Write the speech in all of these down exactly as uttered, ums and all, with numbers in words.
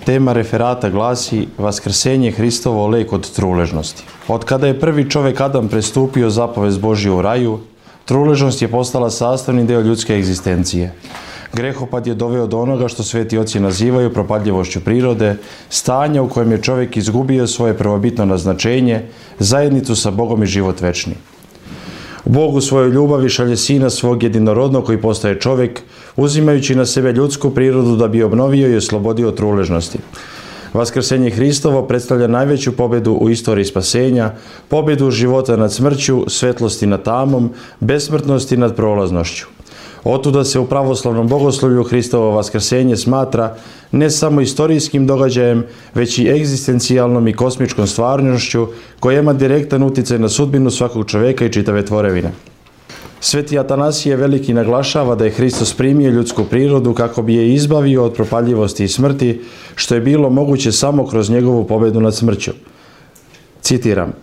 Tema referata glasi Vaskrsenje Hristovo, lek od truležnosti. Od kada je prvi čovjek Adam prestupio zapovest Božju u raju, truležnost je postala sastavni deo ljudske egzistencije. Grehopad je doveo do onoga što sveti oci nazivaju propadljivošću prirode, stanja u kojem je čovjek izgubio svoje prvobitno naznačenje, zajednicu sa Bogom i život večni. Bog u svojoj ljubavi šalje Sina svog jedinorodnog koji postaje čovjek, uzimajući na sebe ljudsku prirodu da bi obnovio i oslobodio od truležnosti. Vaskrsenje Hristovo predstavlja najveću pobjedu u istoriji spasenja, pobjedu života nad smrću, svetlosti nad tamom, besmrtnosti nad prolaznošću. Otuda se u pravoslavnom bogoslovlju Hristovo vaskrsenje smatra ne samo istorijskim događajem, već i egzistencijalnom i kosmičkom stvarnošću koja ima direktan utjecaj na sudbinu svakog čovjeka i čitave tvorevine. Sveti Atanasije Veliki naglašava da je Hristos primio ljudsku prirodu kako bi je izbavio od propadljivosti i smrti, što je bilo moguće samo kroz njegovu pobjedu nad smrću. Citiram: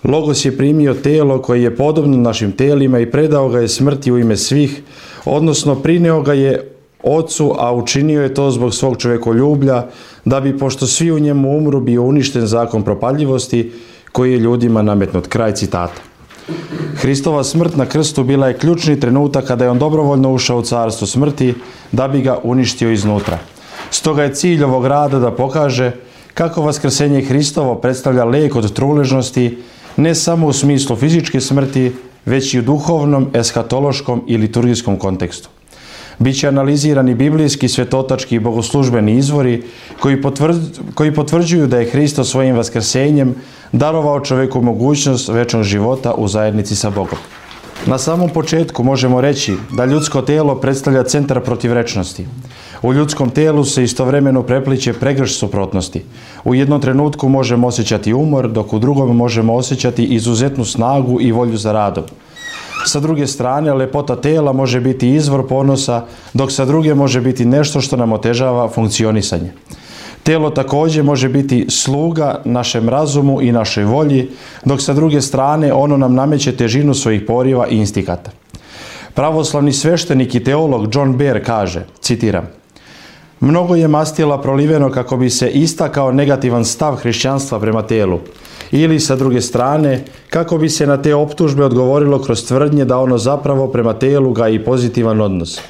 Logos je primio telo koje je podobno našim telima i predao ga je smrti u ime svih, odnosno prineo ga je Ocu, a učinio je to zbog svog čovjekoljublja, da bi, pošto svi u njemu umru, bio uništen zakon propadljivosti koji je ljudima nametnut. Kraj citata. Hristova smrt na krstu bila je ključni trenutak kada je on dobrovoljno ušao u carstvo smrti da bi ga uništio iznutra. Stoga je cilj ovog rada da pokaže kako vaskrsenje Hristovo predstavlja lek od truležnosti, ne samo u smislu fizičke smrti, već i u duhovnom, eskatološkom i liturgijskom kontekstu. Biće analizirani biblijski, svetotački i bogoslužbeni izvori koji, potvrđ, koji potvrđuju da je Hristos svojim vaskrsenjem darovao čovjeku mogućnost večnog života u zajednici sa Bogom. Na samom početku možemo reći da ljudsko telo predstavlja centar protivrečnosti. U ljudskom telu se istovremeno prepliće pregršt suprotnosti. U jednom trenutku možemo osjećati umor, dok u drugom možemo osjećati izuzetnu snagu i volju za radom. Sa druge strane, lepota tela može biti izvor ponosa, dok sa druge može biti nešto što nam otežava funkcionisanje. Telo također može biti sluga našem razumu i našoj volji, dok sa druge strane ono nam nameće težinu svojih poriva i instikata. Pravoslavni sveštenik i teolog John Behr kaže, citiram: Mnogo je mastila proliveno kako bi se istakao negativan stav hrišćanstva prema telu, ili sa druge strane kako bi se na te optužbe odgovorilo kroz tvrdnje da ono zapravo prema telu gaji pozitivan odnos.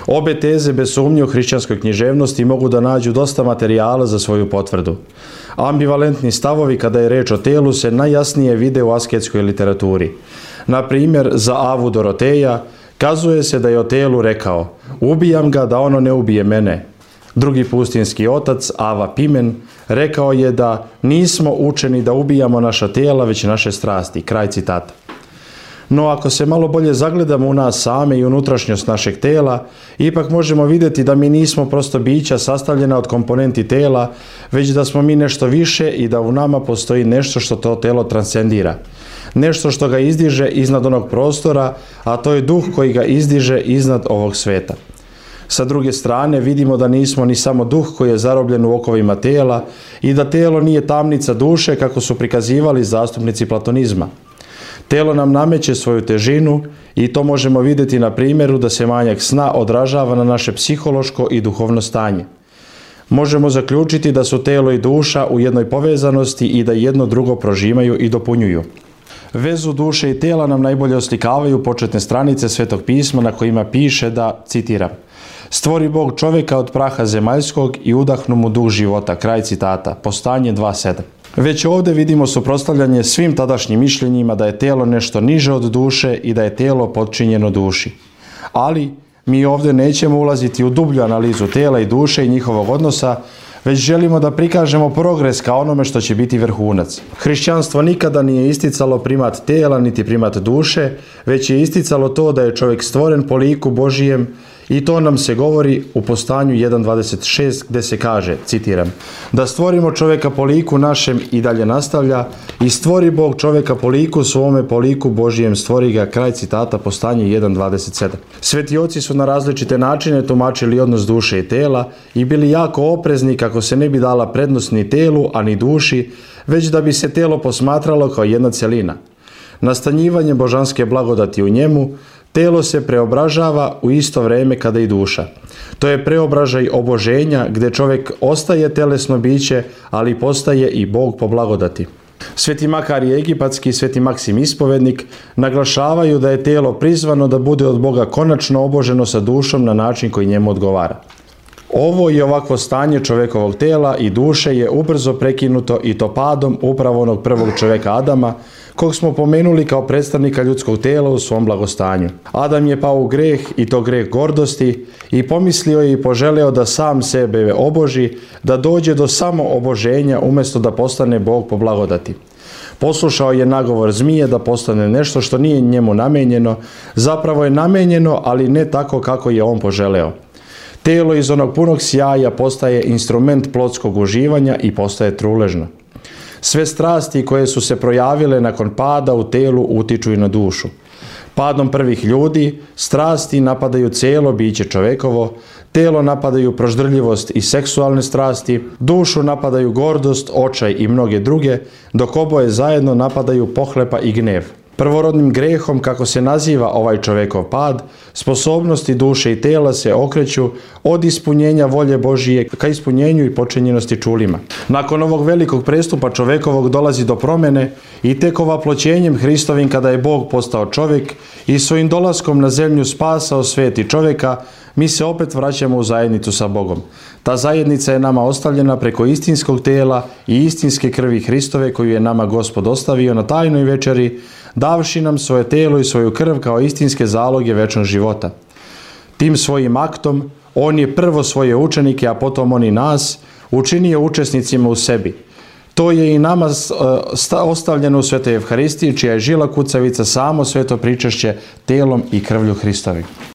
Obe teze bez sumnje u hrišćanskoj književnosti mogu da nađu dosta materijala za svoju potvrdu. Ambivalentni stavovi kada je reč o telu se najjasnije vide u asketskoj literaturi. Na primjer, za Avu Doroteja kazuje se da je o telu rekao: ubijam ga da ono ne ubije mene. Drugi pustinski otac, Ava Pimen, rekao je da nismo učeni da ubijamo naša tijela, već naše strasti. Kraj citata. No ako se malo bolje zagledamo u nas same i unutrašnjost našeg tela, ipak možemo vidjeti da mi nismo prosto bića sastavljena od komponenti tela, već da smo mi nešto više i da u nama postoji nešto što to telo transcendira. Nešto što ga izdiže iznad onog prostora, a to je duh koji ga izdiže iznad ovog sveta. Sa druge strane, vidimo da nismo ni samo duh koji je zarobljen u okovima tela i da telo nije tamnica duše kako su prikazivali zastupnici platonizma. Telo nam nameće svoju težinu i to možemo vidjeti na primjeru da se manjak sna odražava na naše psihološko i duhovno stanje. Možemo zaključiti da su telo i duša u jednoj povezanosti i da jedno drugo prožimaju i dopunjuju. Vezu duše i tela nam najbolje oslikavaju početne stranice Svetog pisma na kojima piše da, citiram: Stvori Bog čovjeka od praha zemaljskog i udahnu mu duh života. Kraj citata. Postanje dva sedam. Već ovdje vidimo suprotstavljanje svim tadašnjim mišljenjima da je telo nešto niže od duše i da je telo podčinjeno duši. Ali mi ovdje nećemo ulaziti u dublju analizu tela i duše i njihovog odnosa, već želimo da prikažemo progres ka onome što će biti vrhunac. Hrišćanstvo nikada nije isticalo primat tela niti primat duše, već je isticalo to da je čovjek stvoren po liku Božijem i to nam se govori u Postanju jedan dvadeset šest gdje se kaže, citiram: Da stvorimo čovjeka po liku našem, i dalje nastavlja, i stvori Bog čovjeka po liku svome, po liku Božijem stvori ga. Kraj citata. Postanje jedan dvadeset sedam. Sveti oci su na različite načine tumačili odnos duše i tela i bili jako oprezni kako se ne bi dala prednost ni telu, a ni duši, već da bi se telo posmatralo kao jedna cjelina. Nastanjivanje božanske blagodati u njemu, telo se preobražava u isto vrijeme kada i duša. To je preobražaj oboženja gdje čovjek ostaje telesno biće, ali postaje i Bog po blagodati. Sveti Makarije Egipatski i Sveti Maksim Ispovednik naglašavaju da je tijelo prizvano da bude od Boga konačno oboženo sa dušom na način koji njemu odgovara. Ovo i ovakvo stanje čovjekovog tijela i duše je ubrzo prekinuto i to padom upravo onog prvog čovjeka Adama, kog smo pomenuli kao predstavnika ljudskog tijela u svom blagostanju. Adam je pao u greh i to greh gordosti i pomislio je i poželeo da sam sebe oboži, da dođe do samo oboženja umjesto da postane Bog po blagodati. Poslušao je nagovor zmije da postane nešto što nije njemu namenjeno, zapravo je namenjeno, ali ne tako kako je on poželeo. Tijelo iz onog punog sjaja postaje instrument plotskog uživanja i postaje truležno. Sve strasti koje su se projavile nakon pada u tijelu utiču i na dušu. Padom prvih ljudi, strasti napadaju cijelo biće čovjekovo, tijelo napadaju proždrljivost i seksualne strasti, dušu napadaju gordost, očaj i mnoge druge, dok oboje zajedno napadaju pohlepa i gnev. Prvorodnim grehom, kako se naziva ovaj čovjekov pad, sposobnosti duše i tijela se okreću od ispunjenja volje Božije ka ispunjenju i počinjenosti čulima. Nakon ovog velikog prestupa čovjekovog dolazi do promjene i tek ovaploćenjem Hristovim kada je Bog postao čovjek i svojim dolaskom na zemlju spasao svijet i čovjeka, mi se opet vraćamo u zajednicu sa Bogom. Ta zajednica je nama ostavljena preko istinskog tijela i istinske krvi Hristove koju je nama Gospod ostavio na tajnoj večeri, davši nam svoje tijelo i svoju krv kao istinske zaloge večnog života. Tim svojim aktom on je prvo svoje učenike, a potom on i nas, učinio učesnicima u sebi. To je i nama ostavljeno u Svetoj Evharistiji, čija je žila kucavica samo sveto pričešće tijelom i krvlju Hristovim.